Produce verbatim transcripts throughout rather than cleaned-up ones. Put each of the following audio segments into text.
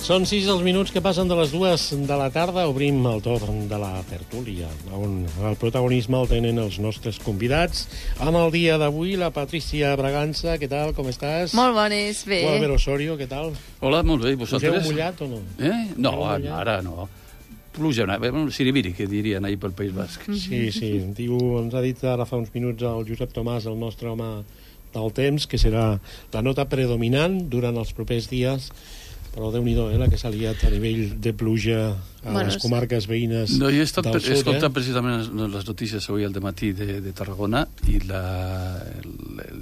Són sis els minuts que passen de les dues de la tarda. Obrim el torn de la tertúlia, on el protagonisme el tenen els nostres convidats. Amb el dia d'avui, la Patricia Bragança, què tal, com estàs? Molt bones, bé. Albert Osorio, què tal? Hola, molt bé, i vosaltres? Us heu mullat o no? Eh? No, mullat? ara no. Pluja, siribiri, que dirien ahir pel País Basc. Sí, sí. Diu, ens ha dit ara fa uns minuts el Josep Tomàs, el nostre home del temps, que serà la nota predominant durant els propers dies. Però Déu-n'hi-do, eh, la que s'ha liat a nivell de pluja a bueno, les comarques veïnes no, jo he estat, del sud. He escoltat eh? precisament les notícies avui al dematí de, de Tarragona i la, el, el,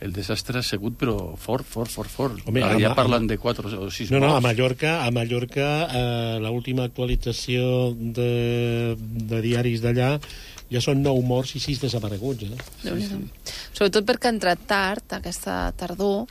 el desastre ha sigut, però fort, fort, fort, fort. Home, Ara ja parlen de quatre o sis no, morts. No, a Mallorca, a Mallorca eh, l'última actualització de, de diaris d'allà ja són nou morts i sis desapareguts. Eh? Sí, sí. Sobretot perquè ha entrat tard, aquesta tardor,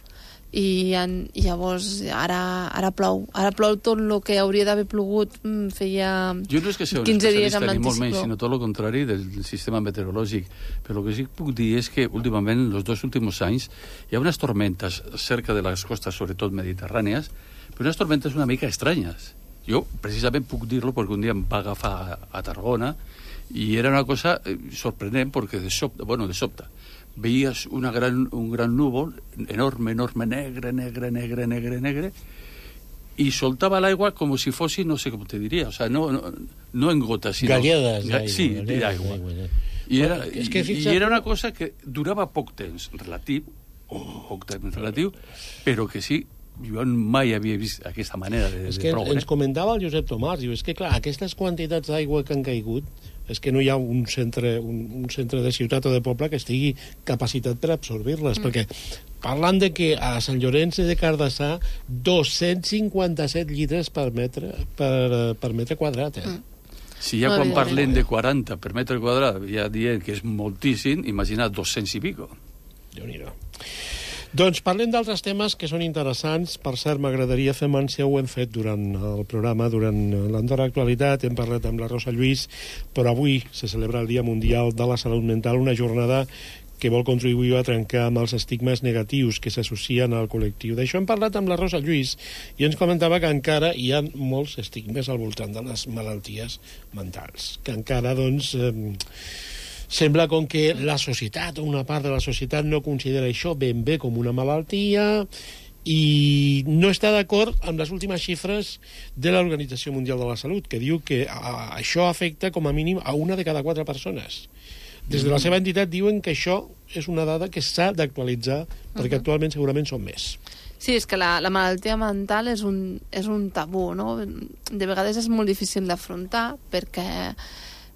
i en, llavors ara, ara plou ara plou tot el que hauria d'haver plogut feia jo no és que sigui un quinze dies amb ni molt menys, l'anticicló, sinó tot el contrari del sistema meteorològic. Però el que sí que puc dir és que últimament, els dos últims anys, hi ha unes tormentes cerca de les costes, sobretot mediterrànies, però unes tormentes una mica estranyes. Jo precisament puc dir-lo perquè un dia em va agafar a, a Tarragona i era una cosa sorprenent perquè de sobte, bueno, de sobte veies una gran, un gran núvol enorme, enorme, negre, negre, negre, negre, negre, i soltava l'aigua com si fossi, no sé com te diria, o sea, no, no, no en gotes, sinó... Galledes d'aigua. Sí, d'aigua. I era, i, i era una cosa que durava poc temps, relatiu, poc temps relatiu, però que sí, jo mai havia vist aquesta manera de, és que de ploure. Ens comentava el Josep Tomàs, diu, és que clar, aquestes quantitats d'aigua que han caigut, és que no hi ha un centre, un, un centre de ciutat o de poble que estigui capacitat per absorbir-les, mm. perquè parlant de que a Sant Llorenç de Cardassà dos-cents cinquanta-set litres per metre, per, per metre quadrat, eh? Mm. Si ja quan parlem de quaranta per metre quadrat ja dient que és moltíssim, imagina't dos-cents i pico. Déu-n'hi-do. Doncs parlem d'altres temes que són interessants. Per cert, m'agradaria fer menció, ho hem fet durant el programa, durant l'Andorra Actualitat, hem parlat amb la Rosa Lluís, però avui se celebra el Dia Mundial de la Salut Mental, una jornada que vol contribuir a trencar amb els estigmes negatius que s'associen al col·lectiu. D'això hem parlat amb la Rosa Lluís i ens comentava que encara hi ha molts estigmes al voltant de les malalties mentals, que encara, doncs... Eh, sembla com que la societat, una part de la societat, no considera això ben bé com una malaltia i no està d'acord amb les últimes xifres de l'Organització Mundial de la Salut, que diu que a, això afecta com a mínim a una de cada quatre persones. Des de la seva entitat diuen que això és una dada que s'ha d'actualitzar, perquè uh-huh. actualment segurament són més. Sí, és que la, la malaltia mental és un, és un tabú, no? De vegades és molt difícil d'afrontar perquè...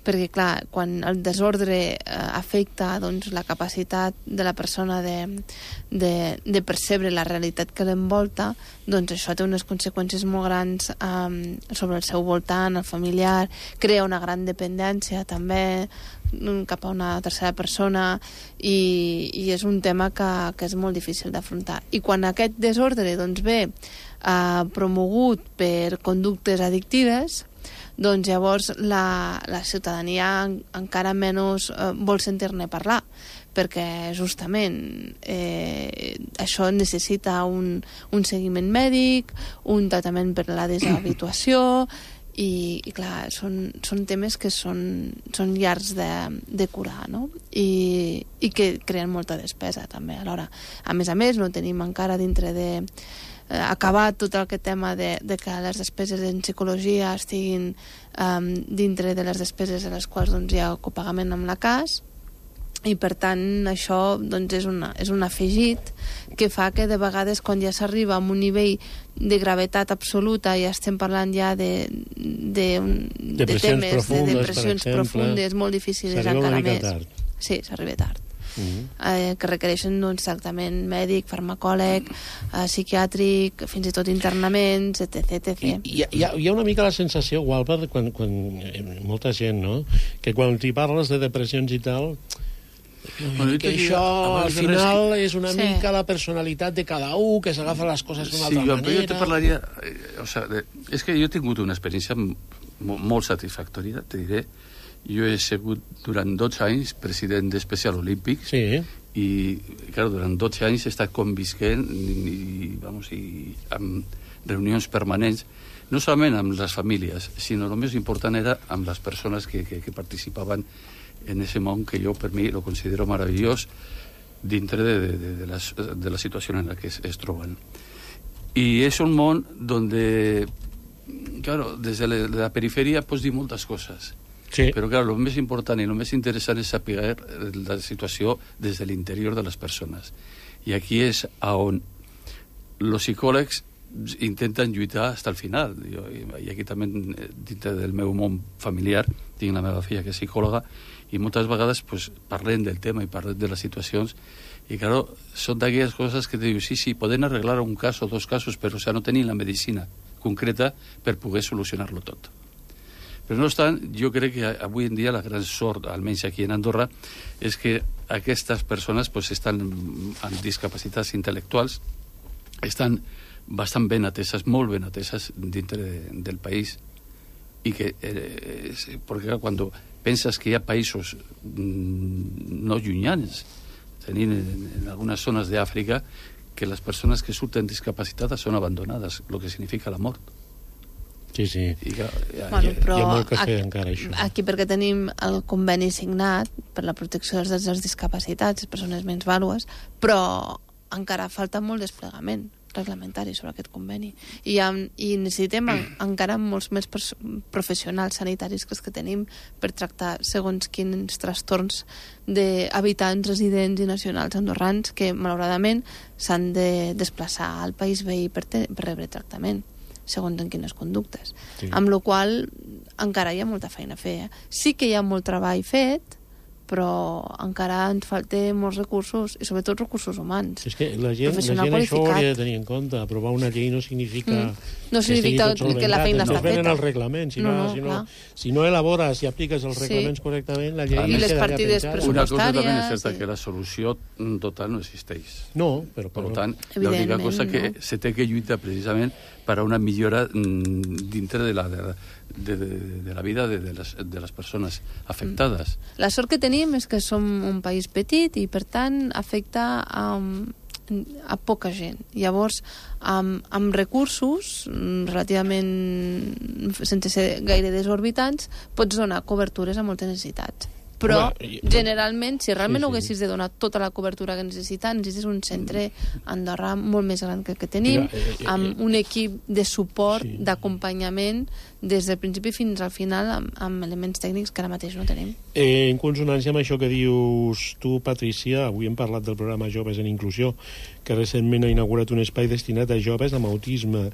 perquè, clar, quan el desordre eh, afecta doncs, la capacitat de la persona de, de, de percebre la realitat que l'envolta, doncs això té unes conseqüències molt grans eh, sobre el seu voltant, el familiar, crea una gran dependència també cap a una tercera persona i, i és un tema que, que és molt difícil d'afrontar. I quan aquest desordre doncs, ve eh, promogut per conductes addictives, doncs llavors la, la ciutadania encara menys eh, vol sentir-ne parlar, perquè justament eh, això necessita un, un seguiment mèdic, un tractament per la deshabituació i, i clar, són, són temes que són, són llargs de, de curar, no? I, i que creen molta despesa també alhora. A més a més, no tenim encara dintre de acabat tot aquest tema de, de que les despeses en psicologia estiguin um, dintre de les despeses a les quals doncs, hi ha copagament amb la C A S i per tant això doncs, és, una, és un afegit que fa que de vegades quan ja s'arriba a un nivell de gravetat absoluta i ja estem parlant ja de, de, de, de temes profundes, de depressions profundes molt difícils encara més. Tard. Sí, s'arriba tard. Uh-huh. eh, que requereixen un tractament mèdic, farmacòleg, eh, psiquiàtric, fins i tot internaments, etc. etcètera. I, hi, ha, hi ha una mica la sensació, Walper, quan, quan molta gent, no?, que quan t'hi parles de depressions i tal, bueno, que això al final és una sí. mica la personalitat de cada un, que s'agafa les coses d'una sí, altra jo, manera. Jo te parlaria... O sea, de, és que jo he tingut una experiència molt satisfactòria, te diré. Jo he sigut durant dotze anys president d'Especial Olímpics sí. i, clar, durant dotze anys he estat convisquent i, i, vamos, i amb reunions permanents, no solament amb les famílies, sinó el més important era amb les persones que, que, que participaven en ese món que jo, per mi, lo considero meravellós dintre de, de, de, la, de la situació en la que es, es troben. I és un món donde, claro, des de la, de la perifèria pots dir moltes coses, sí. Però, clar, el més important i el més interessant és saber la situació des de l'interior de les persones. I aquí és on els psicòlegs intenten lluitar fins al final. Jo, i aquí també, dintre del meu món familiar, tinc la meva filla que és psicòloga, i moltes vegades pues, parlem del tema i parlem de les situacions, i, claro, són d'aquelles coses que te dius, sí, sí, poden arreglar un cas o dos casos, però, o sea, no tenim la medicina concreta per poder solucionar-lo tot. Però no obstant, jo crec que avui en dia la gran sort, almenys aquí en Andorra, és que aquestes persones pues, estan amb discapacitats intel·lectuals, estan bastant ben ateses, molt ben ateses dintre de, del país, i que, eh, perquè quan penses que hi ha països mm, no llunyans, tenint en, en algunes zones d'Àfrica, que les persones que surten discapacitades són abandonades, el que significa la mort. Sí, sí. I, ja, ja, Bueno, ja, però hi ha molt que fer aquí, encara, això. Aquí perquè tenim el conveni signat per la protecció dels drets dels discapacitats, les persones menys vàlues, però encara falta molt desplegament reglamentari sobre aquest conveni. I, ha, i necessitem en, encara molts més professionals sanitaris que els que tenim per tractar segons quins trastorns d'habitants, residents i nacionals andorrans que, malauradament, s'han de desplaçar al país veí per, te, per rebre tractament segons en quines conductes. Sí. Amb la qual encara hi ha molta feina a fer. Eh? Sí que hi ha molt treball fet, però encara ens falta molts recursos, i sobretot recursos humans. És que la gent, la gent això ho hauria de tenir en compte. Aprovar una llei no significa... Mm. No significa que, que la feina està feta. No venen feta. els reglaments. Si no, no, no, si, no, si no elabores i apliques els reglaments sí. correctament, la llei... I les partides pressupostàries... Una cosa també és certa, sí. que la solució total no existeix. No, però... Per tant, l'única cosa que no. se té que lluitar precisament per a una millora dintre de la, de, de, de, de la vida de, de, les, de les persones afectades. La sort que tenim és que som un país petit i, per tant, afecta a, a poca gent. Llavors, amb, amb recursos relativament sense ser gaire desorbitants, pots donar cobertures a moltes necessitats. Però, home, generalment, si realment sí, sí. no haguessis de donar tota la cobertura que necessites, necessites un centre a Andorra molt més gran que el que tenim, Mira, eh, eh, amb un equip de suport, sí. d'acompanyament, des del principi fins al final, amb, amb elements tècnics que ara mateix no tenim. Eh, en consonància amb això que dius tu, Patrícia, avui hem parlat del programa Joves en Inclusió, que recentment ha inaugurat un espai destinat a joves amb autisme,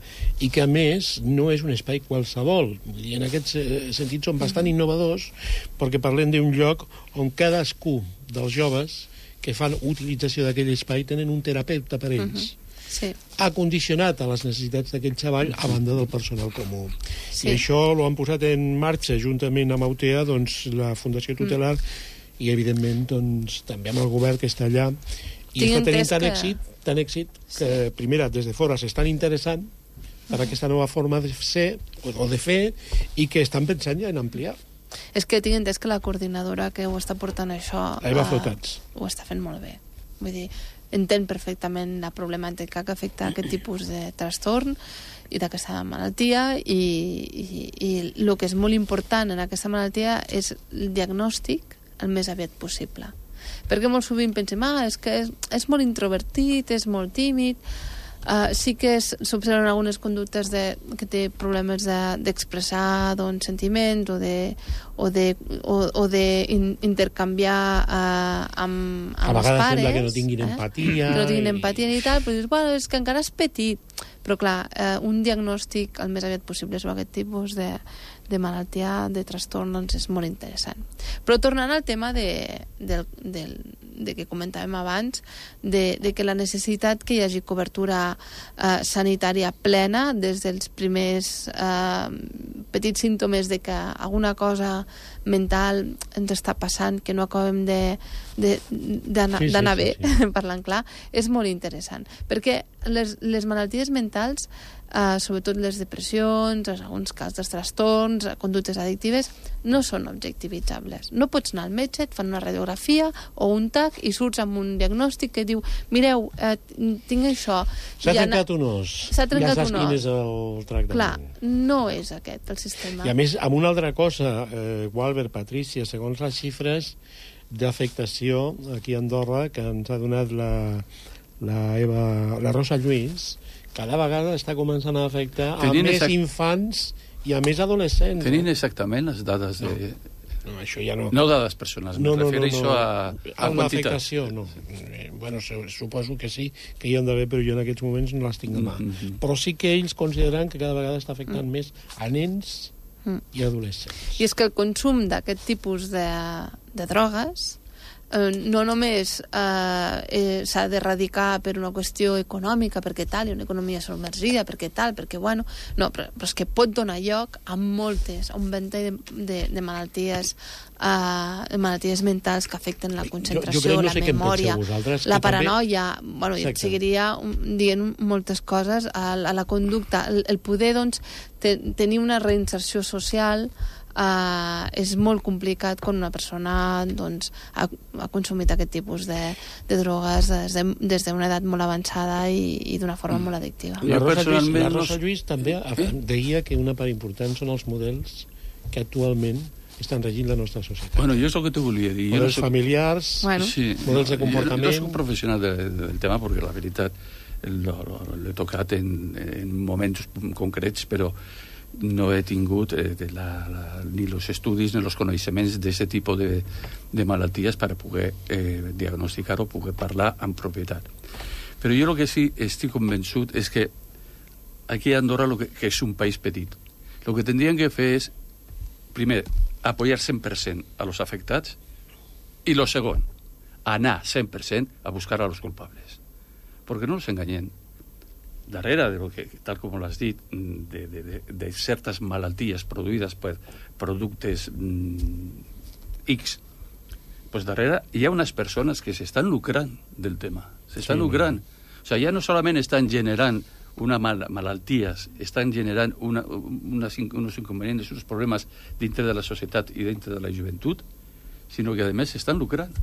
i que, a més, no és un espai qualsevol. I en aquest sentit són bastant innovadors, perquè parlem d'un lloc on cadascú dels joves que fan utilització d'aquell espai tenen un terapeuta per ells. Uh -huh. Sí. Ha condicionat a les necessitats d'aquell xaval a banda del personal comú. Sí. I això l'ho han posat en marxa juntament amb Autea, doncs, la Fundació Tutelar, mm. i evidentment doncs, també amb el govern que està allà, i Tinc està tenint tant que... èxit, tant èxit que, sí. primera, des de fora s'estan interessant per aquesta nova forma de ser o de fer, i que estan pensant ja en ampliar. És que tinc entès que la coordinadora que ho està portant això Eva Flotats ho està fent molt bé. Vull dir, entén perfectament la problemàtica que afecta aquest tipus de trastorn i d'aquesta malaltia, i, i, i el que és molt important en aquesta malaltia és el diagnòstic el més aviat possible. Perquè molt sovint pensem, ah, és que és, és molt introvertit, és molt tímid. Uh, sí que s'observen algunes conductes de, que té problemes d'expressar de, doncs, sentiments o de, o de, o, o de in, intercanviar uh, amb, amb els pares. A vegades sembla que no tinguin eh? empatia. Que no tinguin i... empatia ni tal, però dius, bueno, és que encara és petit. Però clar, eh, un diagnòstic el més aviat possible sobre aquest tipus de, de malaltia, de trastorn, doncs és molt interessant. Però tornant al tema de, de, de, de que comentàvem abans, de, de que la necessitat que hi hagi cobertura eh, sanitària plena des dels primers eh, petits símptomes de que alguna cosa mental ens està passant, que no acabem d'anar sí, sí, bé, sí, sí. parlant clar, és molt interessant. Perquè les, les malalties mentals, eh, sobretot les depressions, en alguns casos dels trastorns, conductes addictives, no són objectivitzables. No pots anar al metge, et fan una radiografia o un tac i surts amb un diagnòstic que diu, mireu, eh, tinc això. S'ha ja trencat un os. S'ha trencat ja saps un os. quin és el tractament. Clar, no és aquest el sistema. I a més, amb una altra cosa, eh, Walbert, Patrícia, segons les xifres d'afectació aquí a Andorra que ens ha donat la, la, Eva, la Rosa Lluís, cada vegada està començant a afectar Tenint a més exact... infants i a més adolescents. Tenint no? exactament les dades de... No, això ja no... No dades personals, no, me no, refereixo no, no. a, a a quantitat. l'afectació, no. Eh, bueno, suposo que sí, que hi han d'haver, però jo en aquests moments no les tinc a mà. Mm -hmm. Però sí que ells consideren que cada vegada està afectant mm. més a nens mm. i adolescents. I és que el consum d'aquest tipus de, de drogues eh, no només eh, eh, s'ha d'erradicar per una qüestió econòmica, perquè tal, i una economia submergida, perquè tal, perquè bueno... No, però, però és que pot donar lloc a moltes, a un ventall de, de, de malalties eh, malalties mentals que afecten la concentració, jo, jo la no sé memòria, la paranoia... També... Bueno, i et seguiria dient moltes coses a, a la conducta. El, el poder, doncs, te, tenir una reinserció social Uh, és molt complicat quan una persona doncs, ha, ha consumit aquest tipus de, de drogues des de, des d'una edat molt avançada i, i d'una forma mm. molt addictiva. La Rosa, Lluís, la Rosa Lluís també deia que una part important són els models que actualment estan regint la nostra societat. Bueno, jo és el que te volia dir. Models jo no soc... familiars, bueno. sí, models de comportament... Jo no soc professional de, de, del tema, perquè la veritat l'he tocat en, en moments concrets, però no he tingut eh, de la, la, ni els estudis ni els coneixements d'aquest tipus de, de malalties per poder eh, diagnosticar o poder parlar amb propietat. Però jo el que sí estic convençut és que aquí a Andorra, lo que, que és un país petit, el que tindrien que fer és, primer, apoyar cent per cent a los afectats i lo segon, anar cent per cent a buscar a los culpables. Perquè no ens enganyem. Darrere de lo que, tal com l'has dit, de, de, de, de certes malalties produïdes per productes mm, X, pues darrere hi ha unes persones que s'estan lucrant del tema, s'estan sí, lucrant. O sigui, ja no solament estan generant una mal malalties, estan generant una, unes, unos inconvenients, uns problemes dintre de la societat i dintre de la joventut, sinó que a més s'estan lucrant.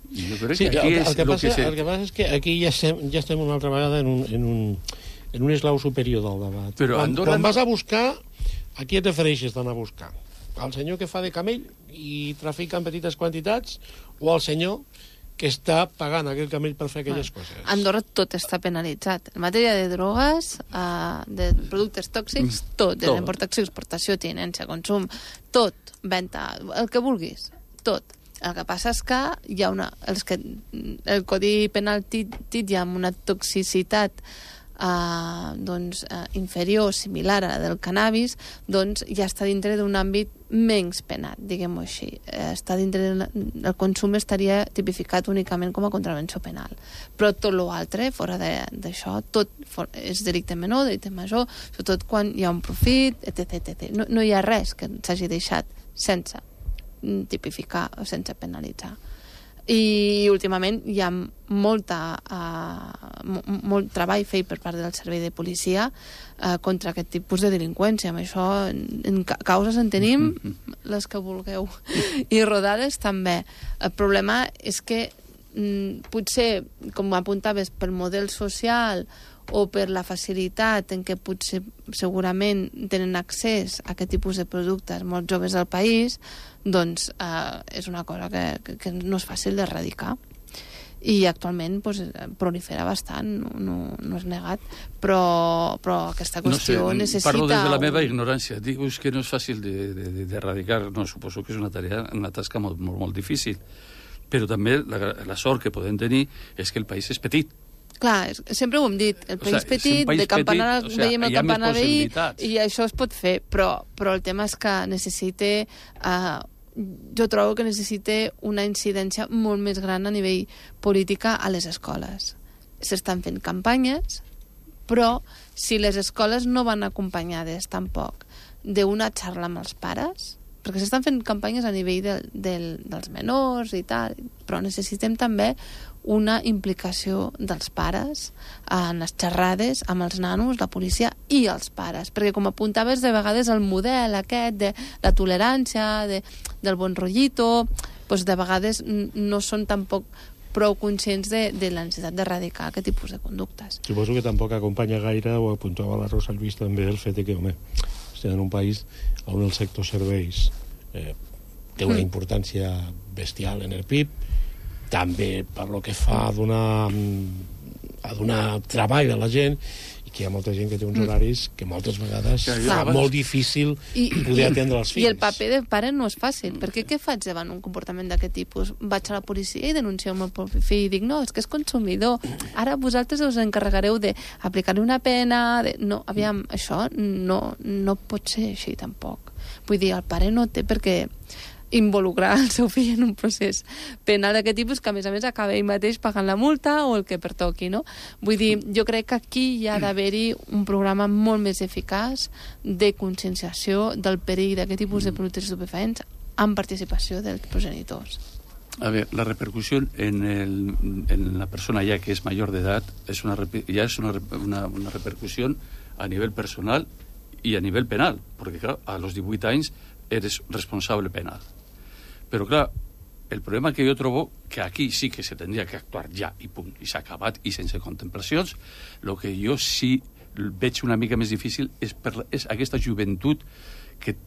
I jo crec sí, que aquí el, és el, que lo passa, que se... el que passa és que aquí ja estem, ja estem una altra vegada en un, en un, en un eslau superior del debat. Però quan, Andorra quan no... vas a buscar, a qui et refereixes d'anar a buscar? Al senyor que fa de camell i trafica en petites quantitats o al senyor que està pagant aquell camell per fer aquelles ah, coses? A Andorra tot està penalitzat. En matèria de drogues, uh, de productes tòxics, tot. De tot. importació, exportació, tinença, consum, tot. Venta, el que vulguis. Tot. El que passa és que hi ha una... Els que, el Codi Penal titlla amb una toxicitat eh, doncs, eh, inferior, similar a la del cannabis, doncs ja està dintre d'un àmbit menys penat, diguem-ho així. Eh, està dintre de, el consum estaria tipificat únicament com a contravenció penal. Però tot l'altre, fora d'això, tot for, és delicte menor, delicte major, sobretot quan hi ha un profit, etcètera etcètera. No, no hi ha res que s'hagi deixat sense tipificar o sense penalitzar. I últimament hi ha molta, uh, molt treball fet per part del servei de policia uh, contra aquest tipus de delinqüència. Amb això, en, en causes en tenim les que vulgueu i rodades també. El problema és que mm, potser, com apuntaves, pel model social o per la facilitat en què potser segurament tenen accés a aquest tipus de productes molts joves del país, doncs eh, és una cosa que, que, que no és fàcil d'erradicar. I actualment pues, prolifera bastant, no, no, no és negat, però, però aquesta qüestió no sé, necessita... Parlo des de la meva ignorància. Dius que no és fàcil d'erradicar, no, suposo que és una tarea, una tasca molt, molt, molt difícil, però també la, la sort que podem tenir és que el país és petit. Clar, sempre ho hem dit, el país o sea, petit, país de campanar, petit, o sea, veiem el campanar veí, i això es pot fer, però, però el tema és que necessita, uh, jo trobo que necessita una incidència molt més gran a nivell política a les escoles. S'estan fent campanyes, però si les escoles no van acompanyades tampoc d'una xarra amb els pares, perquè s'estan fent campanyes a nivell de, del, dels menors i tal, però necessitem també una implicació dels pares en les xerrades amb els nanos, la policia i els pares, perquè com apuntaves de vegades el model aquest de la tolerància, de, del bon rotllito, doncs de vegades no són tampoc prou conscients de, de la necessitat d'erradicar aquest tipus de conductes. Suposo que tampoc acompanya gaire, o apuntava la Rosa Lluís també, el fet de que, home, estem en un país on el sector serveis eh, té una importància bestial en el P I B, també per lo que fa a donar, a donar treball a la gent, i que hi ha molta gent que té uns horaris que moltes vegades Clar, fa molt difícil I, poder atendre els fills. I el paper de pare no és fàcil, perquè què faig davant un comportament d'aquest tipus? Vaig a la policia i denuncio el meu propi fill i dic, no, és que és consumidor, ara vosaltres us encarregareu d'aplicar-li una pena, de... no, aviam, això no, no pot ser així tampoc. Vull dir, el pare no té perquè involucrar el seu fill en un procés penal d'aquest tipus, que a més a més acaba ell mateix pagant la multa o el que pertoqui, no? Vull dir, jo crec que aquí hi ha d'haver-hi un programa molt més eficaç de conscienciació del perill d'aquest tipus de productes estupefaents amb participació dels progenitors. A ver, la repercusión en, el, en la persona ya que es mayor de edad es una, ya es una, una, una repercusión a nivel personal y a nivel penal, porque claro, a los divuit anys eres responsable penal. Pero claro, el problema que yo trobo, que aquí sí que se tendría que actuar ja i punt, i s'ha acabat i sense contemplacions, lo que jo sí veig una mica més difícil és, per, és aquesta joventut que,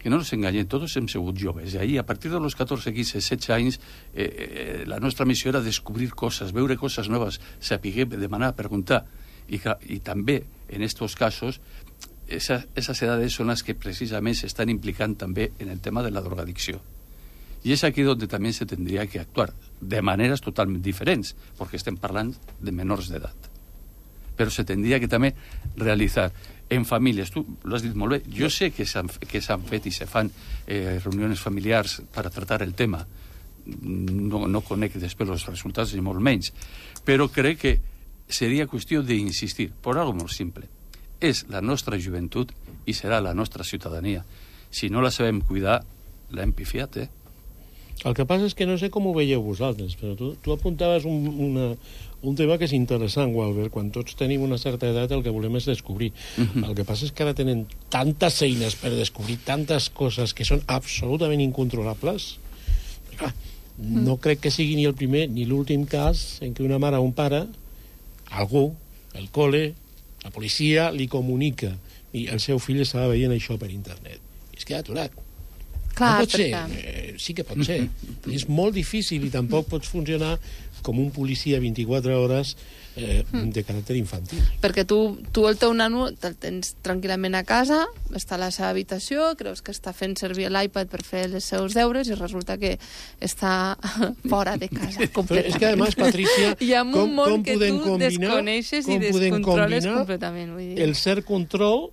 que no ens enganyem, tots hem sigut joves, i ahí a partir de los catorze, quinze, setze anys eh, eh, la nostra missió era descobrir coses, veure coses noves, saber, demanar, preguntar, i, i també en estos casos Esas, esas edades son las que precisamente se están implicando también en el tema de la drogadicción. Y es aquí donde también se tendría que actuar, de maneras totalmente diferentes, porque estén hablando de menores de edad. Pero se tendría que también realizar en familias. Tú lo has dicho muy bien. Yo sé que s'han que s'han fet i se fan eh, reuniones familiars para tratar el tema. No, no conec després els resultats ni molt menys. Però crec que seria qüestió d'insistir, per algo molt simple. És la nostra joventut i serà la nostra ciutadania. Si no la sabem cuidar, l'hem pifiat, eh? El que passa és que no sé com ho veieu vosaltres, però tu, tu apuntaves un, una, un tema que és interessant, Walbert. Quan tots tenim una certa edat el que volem és descobrir. Uh-huh. El que passa és que ara tenen tantes eines per descobrir tantes coses que són absolutament incontrolables. Clar, no crec que sigui ni el primer ni l'últim cas en què una mare o un pare, algú, el col·le, la policia li comunica i el seu fill estava veient això per internet i es queda aturat. Clar, no pot ser, perquè... eh, sí que pot ser. És molt difícil i tampoc pots funcionar com un policia vint-i-quatre hores eh, de caràcter infantil. Perquè tu, tu el teu nano te'l tens tranquil·lament a casa, està a la seva habitació, creus que està fent servir l'iPad per fer els seus deures i resulta que està fora de casa completament. És que, a més, Patricia, hi ha un com, món com que podem tu combinar, desconeixes i com podem descontroles combinar completament. Vull dir. el cert control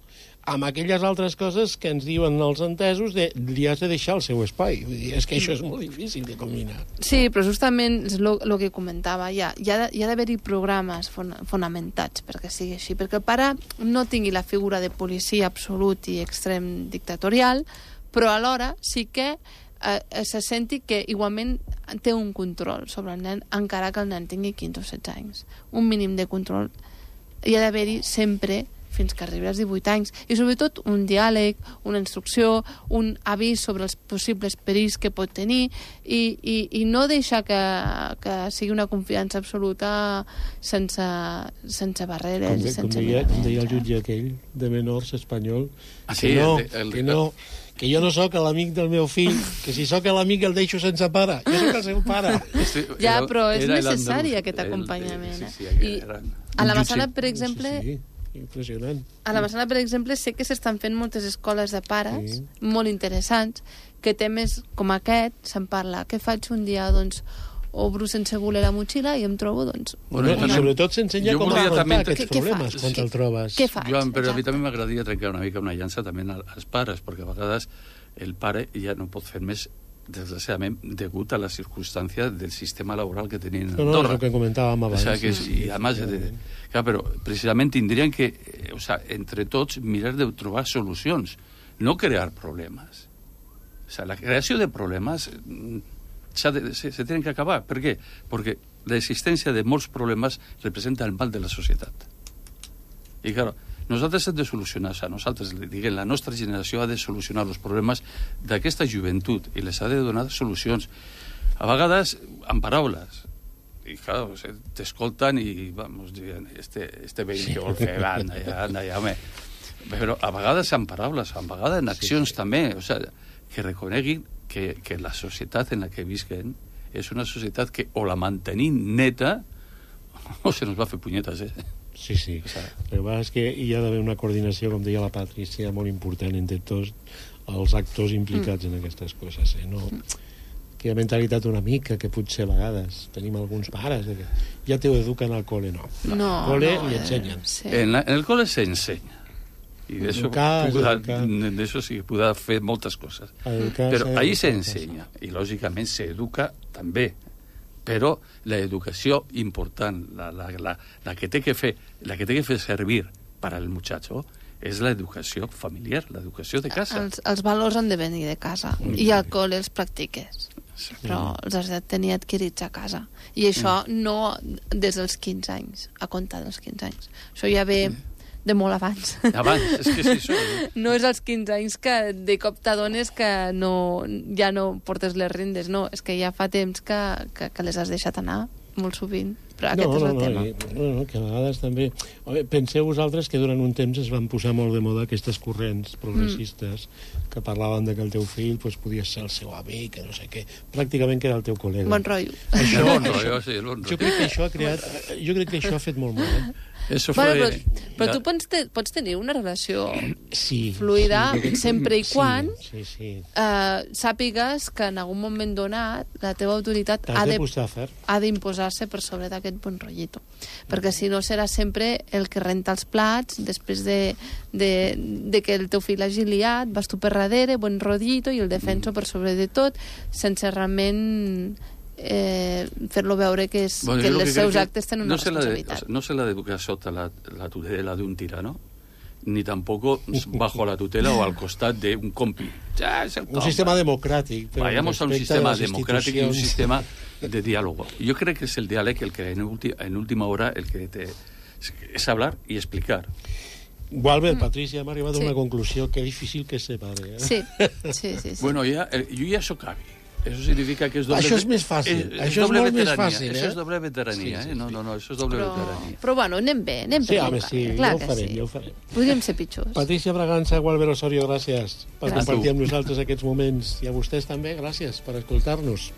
amb aquelles altres coses que ens diuen els entesos de li has de deixar el seu espai. Vull dir, és que això és molt difícil de combinar. Sí, però justament és el que comentava. Hi ha, hi ha, hi ha d'haver-hi programes fon, fonamentats perquè sigui així, perquè el pare no tingui la figura de policia absolut i extrem dictatorial, però alhora sí que eh, se senti que igualment té un control sobre el nen, encara que el nen tingui quinze o setze anys. Un mínim de control hi ha d'haver-hi sempre fins que arribi als divuit anys. I sobretot un diàleg, una instrucció, un avís sobre els possibles perills que pot tenir i, i, i no deixar que, que sigui una confiança absoluta sense, sense barreres. Com, I sense com, deia, com deia el jutge aquell de menors espanyol, Ah, que, sí, no, el, el, que no, que jo no sóc l'amic del meu fill, que si sóc l'amic el deixo sense pare. Jo sóc el seu pare. Ja, però és era necessari el, aquest el, acompanyament. el, sí, sí, I era, a la Massana, per exemple... Sí, sí. Impressionant. A la Massana, per exemple, sé que s'estan fent moltes escoles de pares, sí, molt interessants, que temes com aquest se'n parla. Què faig un dia? Doncs obro sense voler la motxilla i em trobo, doncs... Bueno, una... I sobretot s'ensenya com volia afrontar també... aquests Què- què problemes fas? quan te'l trobes. Què faig? Joan, però a mi Exacte. també m'agradaria trencar una mica una llança també als pares, perquè a vegades el pare ja no pot fer més, desgraciadament, degut a la circumstància del sistema laboral que tenien en No, no, és Andorra. el que comentàvem O abans. sea, que es, y además, de, claro, pero precisamente tendrían que, eh, o sea, entre tots, mirar de trobar solucions. no crear problemas. O sea, la creació de problemes s'ha de, se, se tenen que acabar. Per què? Perquè l'existència de molts problemes representa el mal de la societat. I, clar, nosaltres hem de solucionar, o sigui, nosaltres, diguem, la nostra generació ha de solucionar els problemes d'aquesta joventut i les ha de donar solucions. A vegades, amb paraules. I, clar, o sigui, t'escolten i, vamos, diuen, este, este veí que vol fer, anda, ja, anda, ja, home. Però a vegades amb paraules, a vegades en accions sí, sí. també, o sigui, que reconeguin que, que la societat en la que visquen és una societat que o la mantenim neta o se nos va a fer punyetes, eh? Sí, sí. O sea, el que passa és que hi ha d'haver una coordinació, com deia la Patrícia, molt important entre tots els actors implicats mm. en aquestes coses, eh? No, que hi ha mentalitat una mica que potser a vegades tenim alguns pares que ja te ho eduquen al cole, no. No, al cole no, li ensenyen. Eh, sí. En, la, en el cole se enseña. Y de eso, Educar, pueda, educar. de eso sí pueda fer moltes coses. Educar, però ahí se educar, ensenya, i lògicament s'educa també. Però l'educació important, la, la, la, la, que té que fer, la que té que fer servir per al muchacho és l'educació familiar, l'educació de casa. Els, els valors han de venir de casa mm. i al col·le els practiques. Sí. Però els has de tenir adquirits a casa. I això mm. no des dels quinze anys, a comptar dels quinze anys. Això ja ve de molt abans. Abans, és que és això. No és als quinze anys que de cop t'adones que no, ja no portes les rendes, no, és que ja fa temps que, que, que les has deixat anar, molt sovint. Però aquest no, és el no, tema. No, no, no, que a vegades també... Home, penseu vosaltres que durant un temps es van posar molt de moda aquestes corrents progressistes mm. que parlaven de que el teu fill pues, podia ser el seu amic, que no sé què, pràcticament que era el teu col·lega. Bon rotllo. Això, bon rotllo, sí, bon rotllo. Jo crec que això ha creat... Jo crec que això ha fet molt mal, eh? Eso bueno, fue... però, però tu pots, te, pots tenir una relació sí, fluida sí, sempre i quan sí, sí, sí. Uh, sàpigues que en algun moment donat la teva autoritat ha de de, ha d'imposar-se per sobre d'aquest bon rotllito. Perquè si no serà sempre el que renta els plats després de, de, de que el teu fill hagi liat, vas tu per darrere, bon rotllito, i el defenso per sobre de tot, sense realment... Eh, fer-lo veure que, és, bueno, que els seus que actes tenen una no responsabilitat. De, no se la educa sota la, la tutela d'un tirano, ni tampoco bajo la tutela o al costat d'un compi. Ja, és el un sistema democràtic. Vayamos a un sistema democràtic i un sistema de diálogo. Yo creo que es el diálogo el que en, ulti, en última hora el que te, es hablar y explicar. Gualbert, mm. Patricia, hem arribat sí. a una conclusió que difícil que se separe. Eh? Sí, sí, sí, sí. Bueno, ja, jo ja sóc avi. Eso significa que és doble... Això és més fàcil. És, això és molt veterania. més fàcil, eh? Això és doble veterania, sí, sí, sí. eh? No, no, no, això és doble però, veterania. Però, bueno, anem bé, anem sí, bé. Home, sí, clar ja ho farem, sí. ja ho farem. Podríem ser pitjors. Patricia Bragança, Gualbert Osorio, gràcies per gràcies. compartir amb nosaltres aquests moments. I a vostès també, gràcies per escoltar-nos.